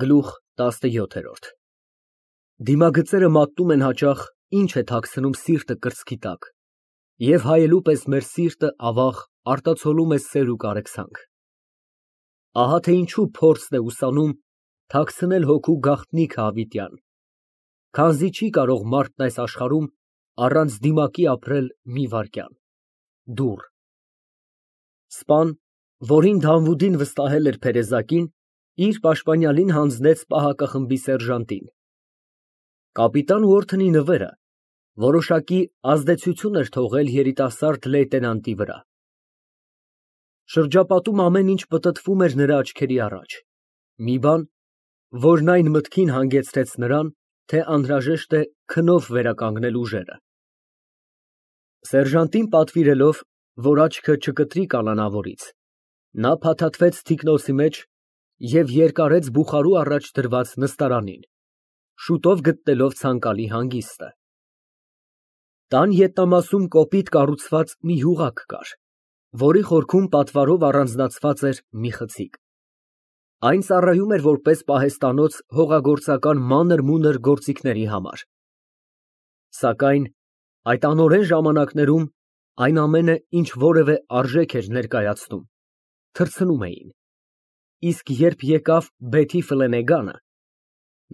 Գլուխ 17 Դիմագծերը մատնում են հաճախ, ինչ է թաքցնում սիրտը կրծքի տակ, և հայելու պես մեր սիրտը, ավաղ, արտացոլում է սեր ու կարեկցանք։ Ահա թե ինչու փորձն է ուսանում թաքցնել հոգու գաղտնիքը հավիտյան, քանզի չի կարող մարդն այս աշխարհում առանց դիմակի ապրել մի վայրկյան։ Դուռ։ Սպան, որին Դավուդին վստահել էր փերեզակին, իր պաշտպանյալին հանձնեց պահակախմբի սերժանտին։ Կապիտան Ուորթոնի նվերը որոշակի ազդեցություն էր թողել երիտասարդ լեյտենանտի վրա։ Շրջապատում ամեն ինչ պտտվում էր նրա աչքերի առաջ, մի բան, որն այն մտքին հանգեցրեց նրան, թե անհրաժեշտ է քնով վերականգնել ուժերը։ Սերժանտին պատվիրելով, որ աչքը չկտրի կանանավորից, նա փաթաթվեց թիկնոցի մեջ և երկարեց բուխարու առաջ դրված նստարանին, շուտով գտնելով ցանկալի հանգիստը։ Տան ետնամասում կոպիտ կառուցված մի յուղակ կար, որի խորքում պատվարով առանձնացված էր մի խցիկ։ Այն ծառայում էր որպես պահեստանոց հողագործական մանր֊մունր գործիքների համար։ Սակայն այդ անօրեն ժամանակներում այն ամենը, ինչ որևէ արժեք էր ներկայացնում, թռցնում էին, իսկ երբ եկավ Բեթի Ֆլենեգանը,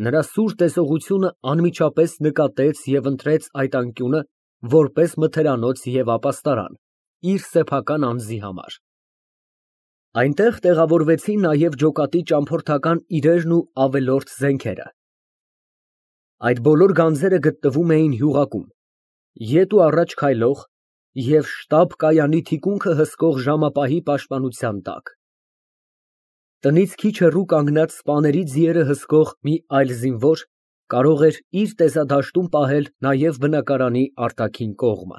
նրա սուր տեսողությունը անմիջապես նկատեց և ընտրեց այդ անկյունը որպես մթերանոց և ապաստարան իր սեփական անձի համար։ Այնտեղ տեղավորվեցին նաև ջոկատի ճամփորդական իրերն ու ավելորդ զենքերը։ Այդ բոլոր գանձերը գտնվում էին յուղակում, ետ ու առաջ քայլող և շտապ֊կայանի թիկունքը հսկող ժամապահի պաշտպանության տակ։ Տնից քիչ հեռու կանգնած սպաների ձիերը հսկող մի այլ զինվոր կարող էր իր տեսադաշտում պահել նաև բնակարանի արտաքին կողմը։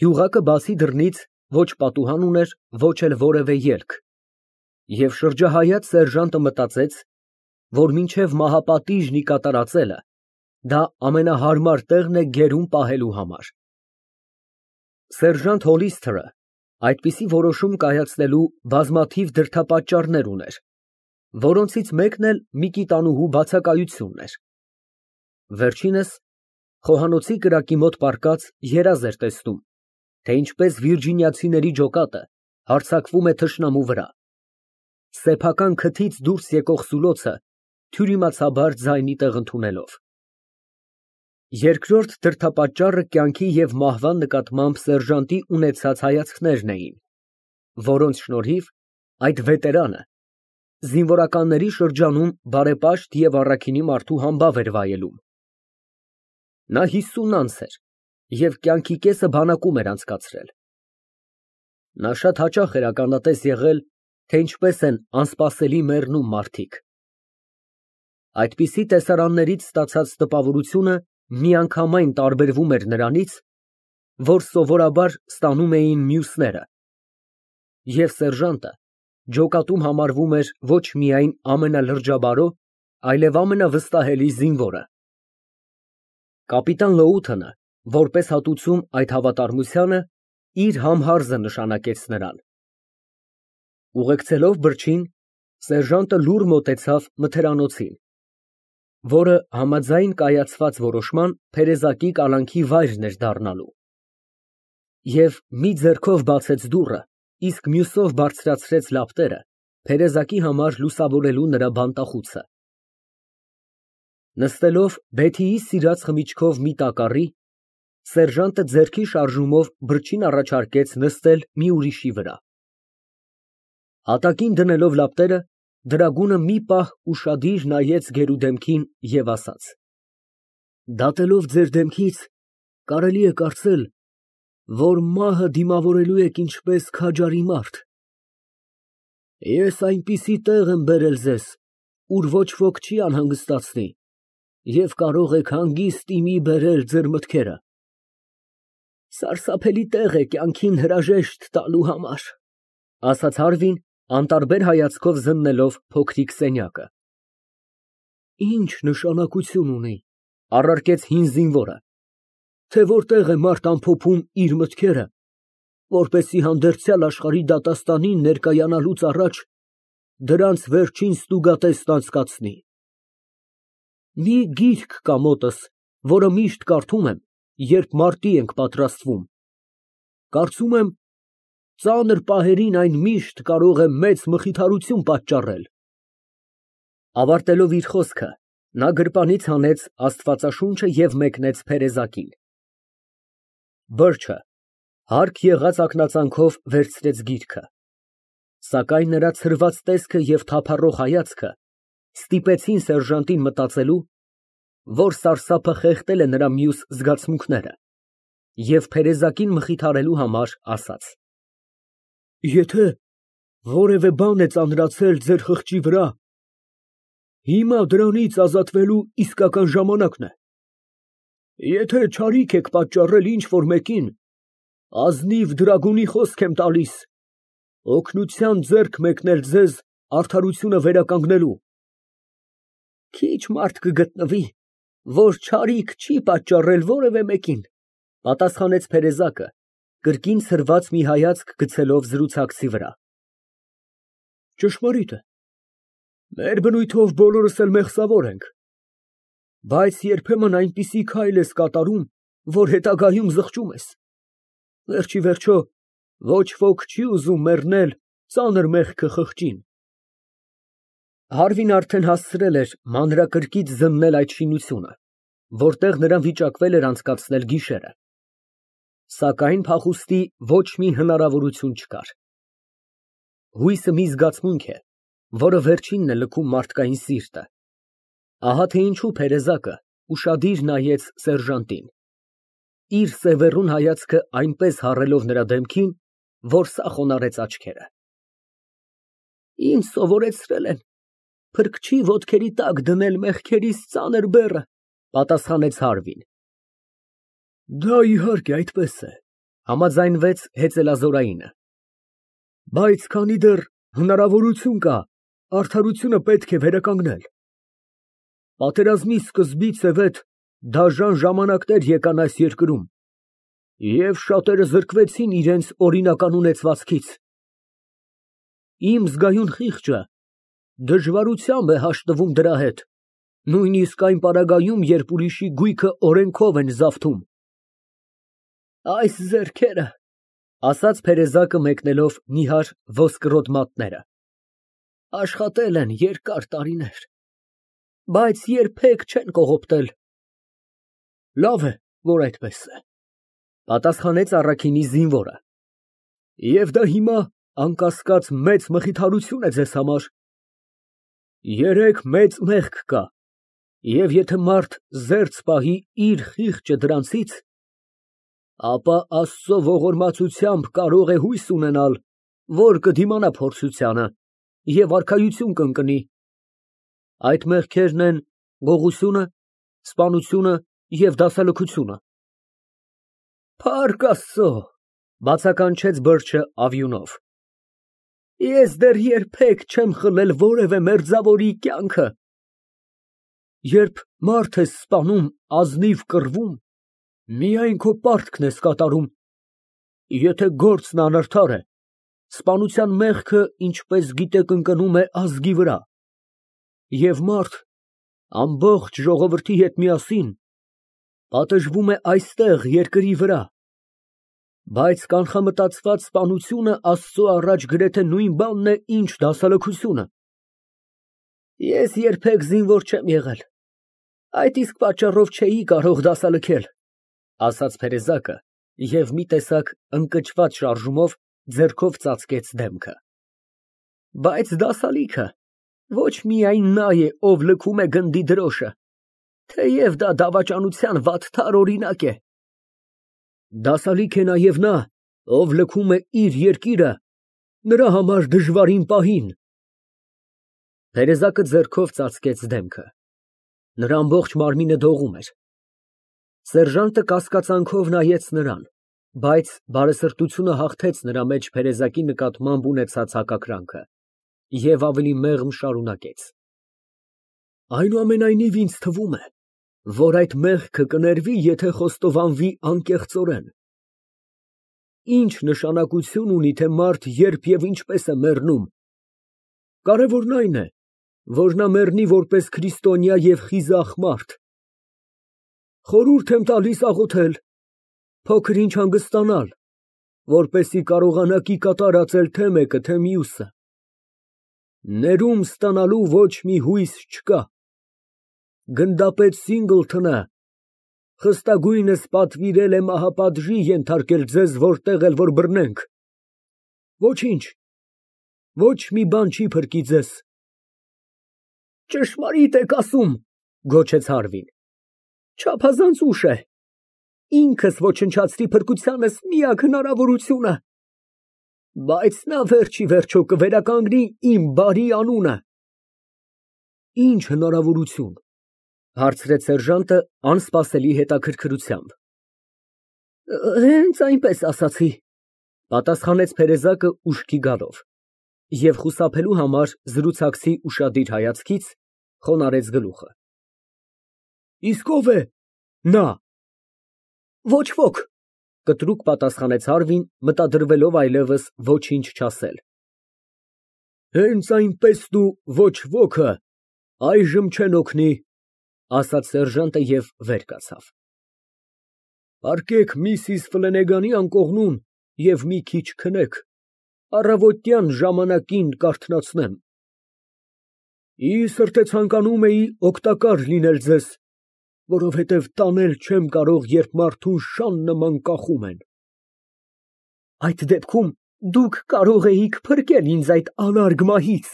Յուղակը բացի դռնից ոչ պատուհան ուներ, ոչ էլ որևէ ելք, և շրջահայաց սերժանտը մտածեց, որ մինչև մահապատիժն ի կատարածելը դա ամենահարմար տեղն է գերում պահելու համար։ Սերժանտ Հոլիսթըրը այդպիսի որոշում կայացնելու բազմաթիվ դրդապատճառներ ուներ, որոնցից մեկն էլ մի կիտանուհու բացակայությունն էր։ Վերջինս խոհանոցի կրակի մոտ պառկած երազ էր տեսնում, թե ինչպես վիրջինիացիների ջոկատը հարձակվում է թշնամու վրա, սեփական քթից դուրս եկող սուլոցը թյուրիմացաբար ձայնի տեղ ընդունելով։ Երկրորդ դրդապատճառը կյանքի և մահվան նկատմամբ սերժանտի ունեցած հայացքներն էին, որոնց շնորհիվ այդ վետերանը զինվորականների շրջանում բարեպաշտ և առաքինի մարդու համբավ էր վայելում։ Նա 50 անց էր և կյանքի կեսը բանակում էր անցկացրել։ Նա շատ հաճախ էր ականատես եղել, թե ինչպես են անսպասելի մեռնում մարդիկ։ Այդպիսի տեսարաններից ստացած տպավորությունը միանգամայն տարբերվում էր նրանից, որ սովորաբար ստանում էին մյուսները, և սերժանտը ջոկատում համարվում էր ոչ միայն ամենալրջաբարո, այլև ամենավստահելի զինվորը։ Կապիտան Լոութոնը, որպես հատուցում այդ հավատարմությանը, իր համհարզը նշանակեց նրան։ Ուղեկցելով բրջին, սերժանտը լուռ մոտեցավ մթերանոցին, որը համաձայն կայացված որոշման փերեզակի կալանքի վայրն էր դառնալու, և մի ձեռքով բացեց դուռը, իսկ մյուսով բարձրացրեց լապտերը փերեզակի համար լուսավորելու նրա բանտախուցը։ Նստելով Բեթիի սիրած խմիչքով մի տակառի, սերժանտը ձեռքի շարժումով բրջին առաջարկեց նստել մի ուրիշի վրա։ Հատակին դնելով լապտերը, դրագունը մի պահ ուշադիր նայեց գերուդեմքին և ասաց. «Դատելով ձեր դեմքից, կարելի է կարծել, որ մահը դիմավորելու եք ինչպես քաջարի մարդ։ Ես այնպիսի տեղ եմ բերել ձեզ, ուր ոչ ոք չի անհանգստացնի, և կարող եք հանգիստ իմի բերել ձեր մտքերը։ Սարսափելի տեղ է կյանքին հրաժեշտ տալու համար», ֊ ասաց Հարվին, անտարբեր հայացքով զննելով փոքրիկ սենյակը։ «Ինչ նշանակություն ունի, ֊ առարկեց հին զինվորը, ֊ թե որտեղ է մարդ ամփոփում իր մտքերը, որպեսզի հանդերձյալ աշխարհի դատաստանին ներկայանալուց առաջ դրանց վերջին ստուգատեսն անցկացնի։ Մի գիրք կա մոտս, որը միշտ կարդում եմ, երբ մարտի ենք պատրաստվում։ Կարծում եմ, ծանր պահերին այն միշտ կարող է մեծ մխիթարություն պատճառել։ Ավարտելով իր խոսքը, նա գրպանից հանեց Աստվածաշունչը և մեկնեց փերեզակին։ Բըրչը հարկ եղած ակնածանքով վերցրեց գիրքը, սակայն նրա ցրված տեսքը և թափառող հայացքը ստիպեցին սերժանտին մտածելու, որ սարսափը խեղդել է նրա մյուս զգացմունքները, և փերեզակին մխիթարելու համար ասաց. Եթե որևէ բան է ծանրացել ձեր խղճի վրա, հիմա դրանից ազատվելու իսկական ժամանակն է։ Եթե չարիք եք պատճառել ինչ֊որ մեկին, ազնիվ դրագունի խոսք եմ տալիս, օգնության ձեռք մեկնել ձեզ արդարությունը վերականգնելու։ Քիչ մարդ կգտնվի, որ չարիք չի պատճառել որևէ մեկին, պատասխանեց փերեզակը, կրկին ցրված մի հայացք գցելով զրուցակցի վրա։ Ճշմարիտ է, մեր բնույթով բոլորս էլ մեղսավոր ենք, բայց երբեմն այնպիսի քայլ ես կատարում, որ հետագայում զղջում ես։ Վերջիվերջո, ոչ ոք չի ուզում մեռնել ծանր մեղքը խղճին։ Հարվին արդեն հասցրել էր մանրակրկիտ զննել այդ շինությունը, որտեղ նրան վիճակվել էր անցկացնել գիշերը, սակայն փախուստի ոչ մի հնարավորություն չկար։ Հույսը մի զգացմունք է, որը վերջինն է լքում մարդկային սիրտը։ Ահա թե ինչու փերեզակը ուշադիր նայեց սերժանտին, իր սևեռուն հայացքը այնպես հառելով նրա դեմքին, որ սա խոնարհեց աչքերը։ Ինձ սովորեցրել են փրկչի ոտքերի տակ դնել մեղքերիս ծանր բեռը, պատասխանեց Հարվին։ Դա իհարկե այդպես է, համաձայնվեց հեծելազորայինը։ Բայց քանի դեռ հնարավորություն կա, արդարությունը պետք է վերականգնել։ Պատերազմի սկզբից ի վեր դաժան ժամանակներ եկան այս երկրում, և շատերը զրկվեցին իրենց օրինական ունեցվածքից։ Իմ զգայուն խիղճը դժվարությամբ է հաշտվում դրա հետ, նույնիսկ այն պարագայում, երբ ուրիշի գույքը օրենքով են զավթում։ Այս ձեռքերը, ասաց փերեզակը մեկնելով նիհար ոսկրոտ մատները, աշխատել են երկար տարիներ, բայց երբեք չեն կողոպտել։ Լավ է, որ այդպես է, պատասխանեց առաքինի զինվորը, և դա հիմա անկասկած մեծ մխիթարություն է ձեզ համար։ Երեք մեծ մեղք կա, և եթե մարդ զերծ պահի իր խիղճը դրանցից, ապա Աստծո ողորմածությամբ կարող է հույս ունենալ, որ կդիմանա փորձությանը և արքայություն կընկնի։ Այդ մեղքերն են գողությունը, սպանությունը և դասալքությունը։ Փառք Աստծո, բացականչեց Բըրչը ավյունով։ Ես դեռ երբեք չեմ խլել որևէ մերձավորի կյանքը։ Երբ մարդ ես սպանում ազնիվ կռվում, միայն քո պարտքն ես կատարում։ Եթե գործն անարդար է, սպանության մեղքը, ինչպես գիտեք, ընկնում է ազգի վրա, և մարդ ամբողջ ժողովրդի հետ միասին պատժվում է այստեղ երկրի վրա, բայց կանխամտածված սպանությունը Աստծո առաջ գրեթե նույն բանն է, ինչ դասալքությունը։ Ես երբեք զինվոր չեմ եղել, այդ իսկ պատճառով չէի կարող դասալքել, ասաց փերեզակը և մի տեսակ ընկճված շարժումով ձեռքով ծածկեց դեմքը։ Բայց դասալիքը ոչ միայն նա է, ով լքում է գնդի դրոշը, թեև դա դավաճանության վատթար օրինակ է։ Դասալիք է նաև նա, ով լքում է իր երկիրը նրա համար դժվարին պահին։ Տերեզակը ձեռքով ծածկեց դեմքը։ Նրա ամբողջ մարմինը դողում էր։ Սերժանտը կասկածանքով նայեց նրան, բայց բարեսրտությունը հաղթեց նրա մեջ փերեզակի նկատմամբ ունեցած հակակրանքը և ավելի մեղմ շարունակեց. Այնուամենայնիվ ինձ թվում է, որ այդ մեղքը կներվի, եթե խոստովանվի անկեղծորեն։ Ինչ նշանակություն ունի, թե մարդ երբ և ինչպես է մեռնում, Կարևորն այն է, որ նա մեռնի որպես քրիստոնյա և խիզախ մարդ։ Խորհուրդ եմ տալիս աղոթել, փոքր ինչ հանգստանալ, որպեսզի կարողանաքի կատարածել թե մեկը, թե մյուսը։ Ներում ստանալու ոչ մի հույս չկա։ Գնդապետ Սինգլթոնը խստագույնս պատվիրել է մահապատժի ենթարկել ձեզ որտեղ էլ որ բռնենք։ Ոչինչ, ոչ մի բան չի փրկի ձեզ։ Ճշմարիտ եք ասում, գոչեց Հարվին։ Չափազանց ուշ է։ Ինքս ոչնչացրի փրկությանս միակ հնարավորությունը։ Բայց նա վերջ ի վերջո կվերականգնի իմ բարի անունը։ Ինչ հնարավորություն, հարցրեց սերժանտը անսպասելի հետաքրքրությամբ։ Հենց այնպես ասացի, պատասխանեց Փերեզակը ուշքի գալով, և խուսափելու համար զրուցակցի ուշադիր հայացքից խոնարհեց գլուխը։ Իսկ ո՞վ է նա։ Ոչ ոք, կտրուկ պատասխանեց Հարվին, մտադրվելով այլևս ոչինչ չասել։ Հենց այնպես դու ոչ ոքը այժմ չեն օգնի, ասաց սերժանտը և վեր կացավ։ Պառկեք միսիս Ֆլենեգանի անկողնուն և մի քիչ քնեք, առավոտյան ժամանակին կարթնացնեմ։ Ի սրտե ցանկանում էի օգտակար լինել ձեզ, որովհետև տանել չեմ կարող, երբ մարդուն շան նման կախում են։ Այդ դեպքում դուք կարող էիք փրկել ինձ այդ անարգ մահից,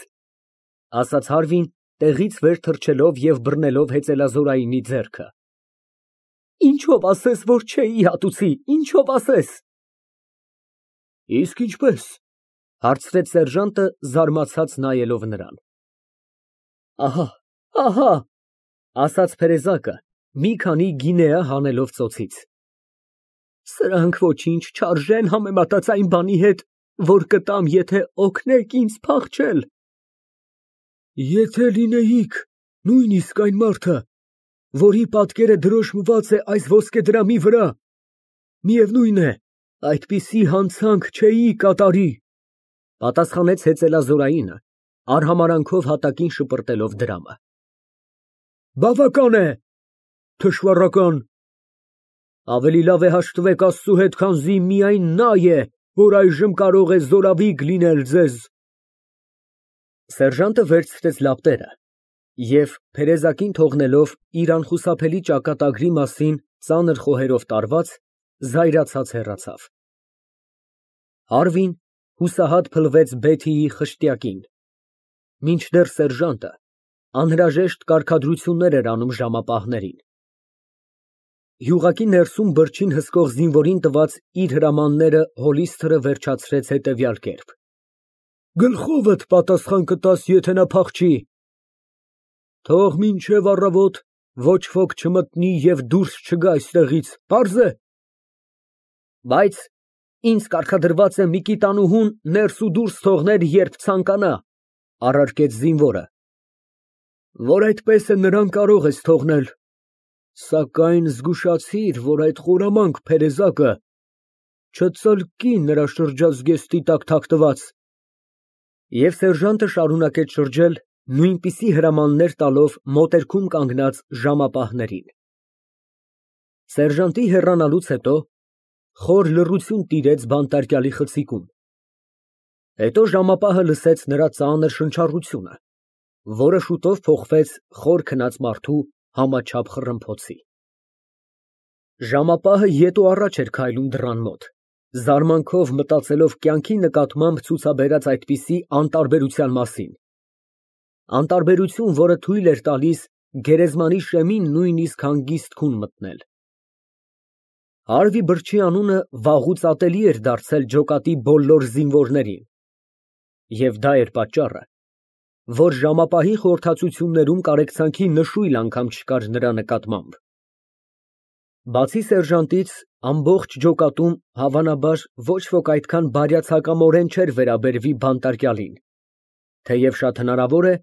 ասաց Հարվին, տեղից վեր թռչելով և բռնելով հեծելազորայինի ձեռքը։ Ինչով ասես, որ չէի հատուցի, ինչով ասես։ Իսկ ինչպես, հարցրեց սերժանտը, զարմացած նայելով նրան։ Ահա, ասաց Փերեզակը, մի քանի գինեա հանելով ծոցից։ Սրանք ոչինչ չարժեն համեմատած այն բանի հետ, որ կտամ, եթե օգնեք ինձ փախչել։ Եթե լինեիք նույնիսկ այն մարդը, որի պատկերը դրոշմված է այս ոսկեդրամի վրա, միևնույն է, այդպիսի հանցանք չէի կատարի, պատասխանեց հեծելազորայինը, արհամարանքով հատակին շպրտելով դրամը։ Բավական է, թշվառական։ Ավելի լավ է հաշտվեք Աստծու հետ, քանզի միայն նա է, որ այժմ կարող է զորավիգ լինել ձեզ։ Սերժանտը վերցրեց լապտերը և, Փերեզակին թողնելով իր անխուսափելի ճակատագրի մասին ծանր խոհերով տարված, զայրացած հեռացավ։ Հարվին հուսահատ փլվեց Բեթիի խշտյակին, մինչդեռ սերժանտը անհրաժեշտ կարգադրություններ էր անում ժամապահներին։ Յուղակի ներսում բրջին հսկող զինվորին տված իր հրամանները հոլիսթրը վերջացրեց հետևյալ կերպ. Գլխովդ պատասխան կտաս, եթե նա փախչի։ Թող մինչև առավոտ ոչ ոք չմտնի և դուրս չգա այստեղից, պարզ է։ Բայց ինձ կարգադրված է Միկիտանուհուն ներս ու դուրս թողնել, երբ ցանկանա, առարկեց զինվորը։ Որ այդպես է, նրան կարող ես թողնել, սակայն զգուշացիր, որ այդ խորամանկ Փերեզակը չծլկի նրա շրջազգեստի տակ թաքնված։ Եվ սերժանտը շարունակեց շրջել, նույնպիսի հրամաններ տալով մոտերքում կանգնած ժամապահներին։ Սերժանտի հեռանալուց հետո խոր լռություն տիրեց բանտարկյալի խցիկում։ Հետո ժամապահը լսեց նրա ծանր շնչառությունը, որը շուտով փոխվեց խոր քնած մարդու համաչափ խռմփոցի։ Ժամապահը ետ ու առաջ էր քայլում դռան մոտ, զարմանքով մտածելով կյանքի նկատմամբ ցուցաբերած այդպիսի անտարբերության մասին։ Անտարբերություն, որը թույլ էր տալիս գերեզմանի շեմին նույնիսկ հանգիստ քուն մտնել։ Հարվի Բրջի անունը վաղուց ատելի էր դարձել ջոկատի բոլոր զինվորներին։ Եվ դա էր պատճառը, որ ժամապահի խորհրդածություններում կարեկցանքի նշույլ անգամ չկար նրա նկատմամբ։ Բացի սերժանտից, ամբողջ ջոկատում, հավանաբար, ոչ ոք այդքան բարյացակամորեն չէր վերաբերվի բանտարկյալին, թեև շատ հնարավոր է,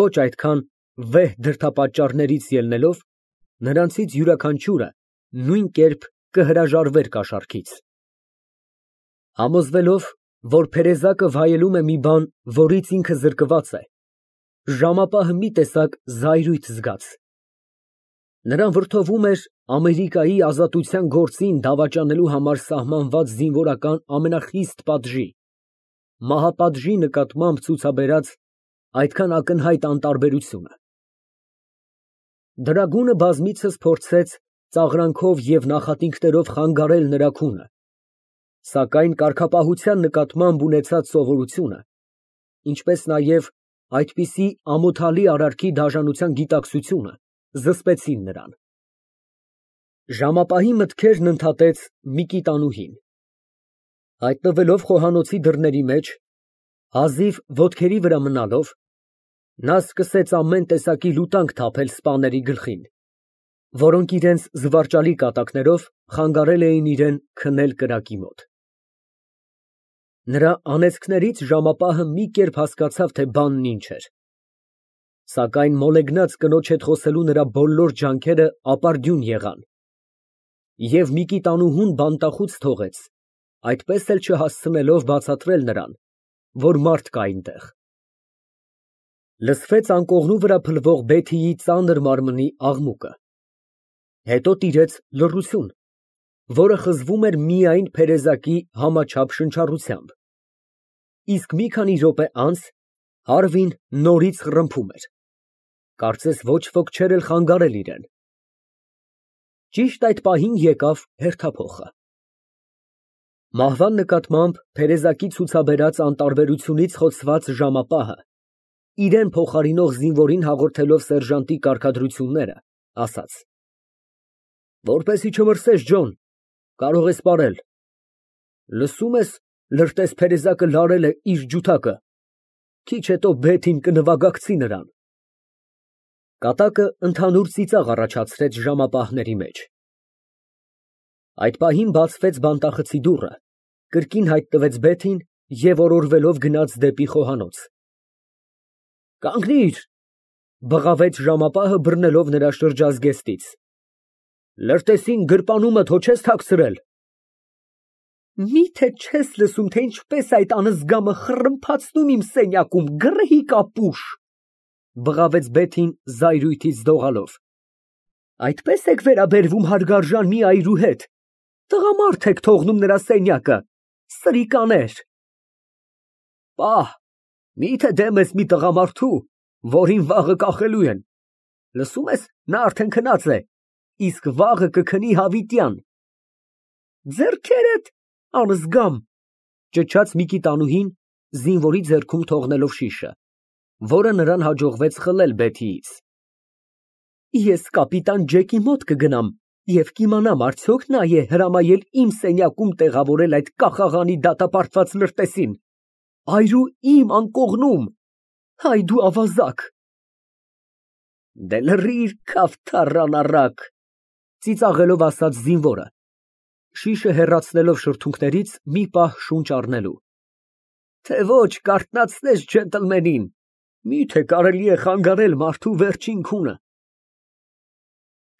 ոչ այդքան վեհ դրդապատճառներից ելնելով, նրանցից յուրաքանչյուրը նույն կերպ կհրաժարվեր կաշառքից։ Համոզվելով, որ փերեզակը վայելում է մի բան, որից ինքը զրկված է, ժամապահը մի տեսակ զայրույթ զգաց։ Նրան վրդովում էր Ամերիկայի ազատության գործին դավաճանելու համար սահմանված զինվորական ամենախիստ պատժի, մահապատժի նկատմամբ ցուցաբերած այդքան ակնհայտ անտարբերությունը։ Դրագունը բազմիցս փորձեց ծաղրանքով և նախատինքներով խանգարել նրա քունը, սակայն կարգապահության նկատմամբ ունեցած սովորությունը, ինչպես նաև այդպիսի ամոթալի արարքի դաժանության գիտակցությունը զսպեցին նրան։ Ժամապահի մտքերն ընդհատեց Միկիտանուհին։ Հայտնվելով խոհանոցի դռների մեջ, հազիվ ոտքերի վրա մնալով, նա սկսեց ամեն տեսակի լուտանք թափել սպաների գլխին, որոնք իրենց զվարճալի կատակներով խանգարել էին իրան քնել կրակի մոտ։ Նրա անեծքներից ժամապահը մի կերպ հասկացավ, թե բանն ինչ էր, սակայն մոլեգնած կնոջ հետ խոսելու նրա բոլոր ջանքերը ապարդյուն եղան, և Միկիտանուհուն բանտախուց թողեց, այդպես էլ չհասցնելով բացատրել նրան, որ մարդ կա այնտեղ։ Լսվեց անկողնու վրա փլվող Բեթիի ծանր մարմնի աղմուկը, հետո տիրեց լռություն, որը խզվում էր միայն փերեզակի համաչափ շնչառությամբ, իսկ մի քանի րոպե անց Հարվին նորից խռմփում էր, կարծես ոչ ոք չէր էլ խանգարել իրան։ Ճիշտ այդ պահին եկավ հերթափոխը։ Մահվան նկատմամբ փերեզակի ցուցաբերած անտարբերությունից խոցված ժամապահը, իրան փոխարինող զինվորին հաղորդելով սերժանտի կարգադրությունները, ասաց. Որպեսի չմրսես, Ջոն, կարող ես պարել։ Լսում ես, լրտես փերեզակը լարել է իր ջութակը, քիչ հետո Բեթին կնվագակցի նրան։ Կատակը ընդհանուր ծիծաղ առաջացրեց ժամապահների մեջ։ Այդ պահին բացվեց բանտախցի դուռը, կրկին հայտնվեց Բեթին և օրորվելով գնաց դեպի խոհանոց։ Կանգնիր, բղավեց ժամապահը բռնելով նրա շրջազգեստից։ Լրտեսին գրպանումդ հո չես թաքցրել։ Միթե չես լսում, թե ինչպես այդ անզգամը խռմփացնում իմ սենյակում, գռեհիկ ապուշ, բղավեց Բեթին զայրույթից դողալով։ Այդպես եք վերաբերվում հարգարժան մի այրու հետ, տղամարդ եք թողնում նրա սենյակը, սրիկաներ։ Պահ, միթե դեմ ես մի տղամարդու, որին վաղը կախելու են, լսում ես, նա արդեն քնած է, իսկ վաղը կքնի հավիտյան։ Ձեռքերդ, անզգամ, ճչաց Միկիտանուհին, զինվորի ձեռքում թողնելով շիշը, որը նրան հաջողվեց խլել Բեթիից։ Ես կապիտան Ջեկի մոտ կգնամ և կիմանամ արդյոք նա է հրամայել իմ սենյակում տեղավորել այդ կախաղանի դատապարտված լրտեսին, այրու իմ անկողնում, հայ դու ավազակ։ Դե լռիր, քավթառան առակ, ծիծաղելով ասաց զինվորը, շիշը հեռացնելով շրթունքներից մի պահ շունչ առնելու։ Թե ոչ կարթնացնես ջենտլմենին, միթե կարելի է խանգարել մարդու վերջին քունը։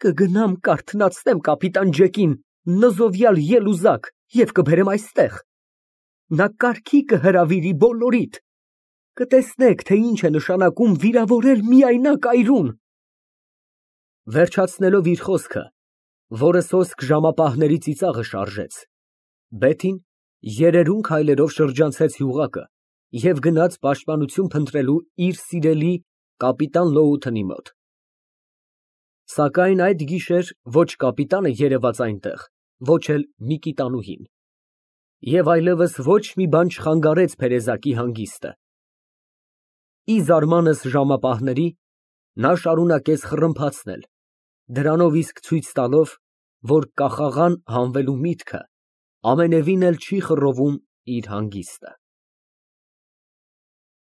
Կգնամ կարթնացնեմ կապիտան Ջեկին, նզովյալ ելուզակ, և կբերեմ այստեղ։ Նա կարգի կհրավիրի բոլորիդ։ Կտեսնեք, թե ինչ է նշանակում վիրավորել միայնակ այրուն։ Վերջացնելով իր խոսքը, որը սոսկ ժամապահների ծիծաղը շարժեց, Բեթին երերուն քայլերով շրջանցեց յուղակը և գնաց պաշտպանություն փնտրելու իր սիրելի կապիտան Լոութոնի մոտ։ Սակայն այդ գիշեր ոչ կապիտանը երևաց այնտեղ, ոչ էլ Միկիտանուհին, և այլևս ոչ մի բան չխանգարեց փերեզակի հանգիստը։ Ի զարմանս ժամապահների, նա շարունակեց խռմփացնել, դրանով իսկ ցույց տալով, որ կախաղան հանվելու միտքը ամենևին էլ չի խռովում իր հանգիստը։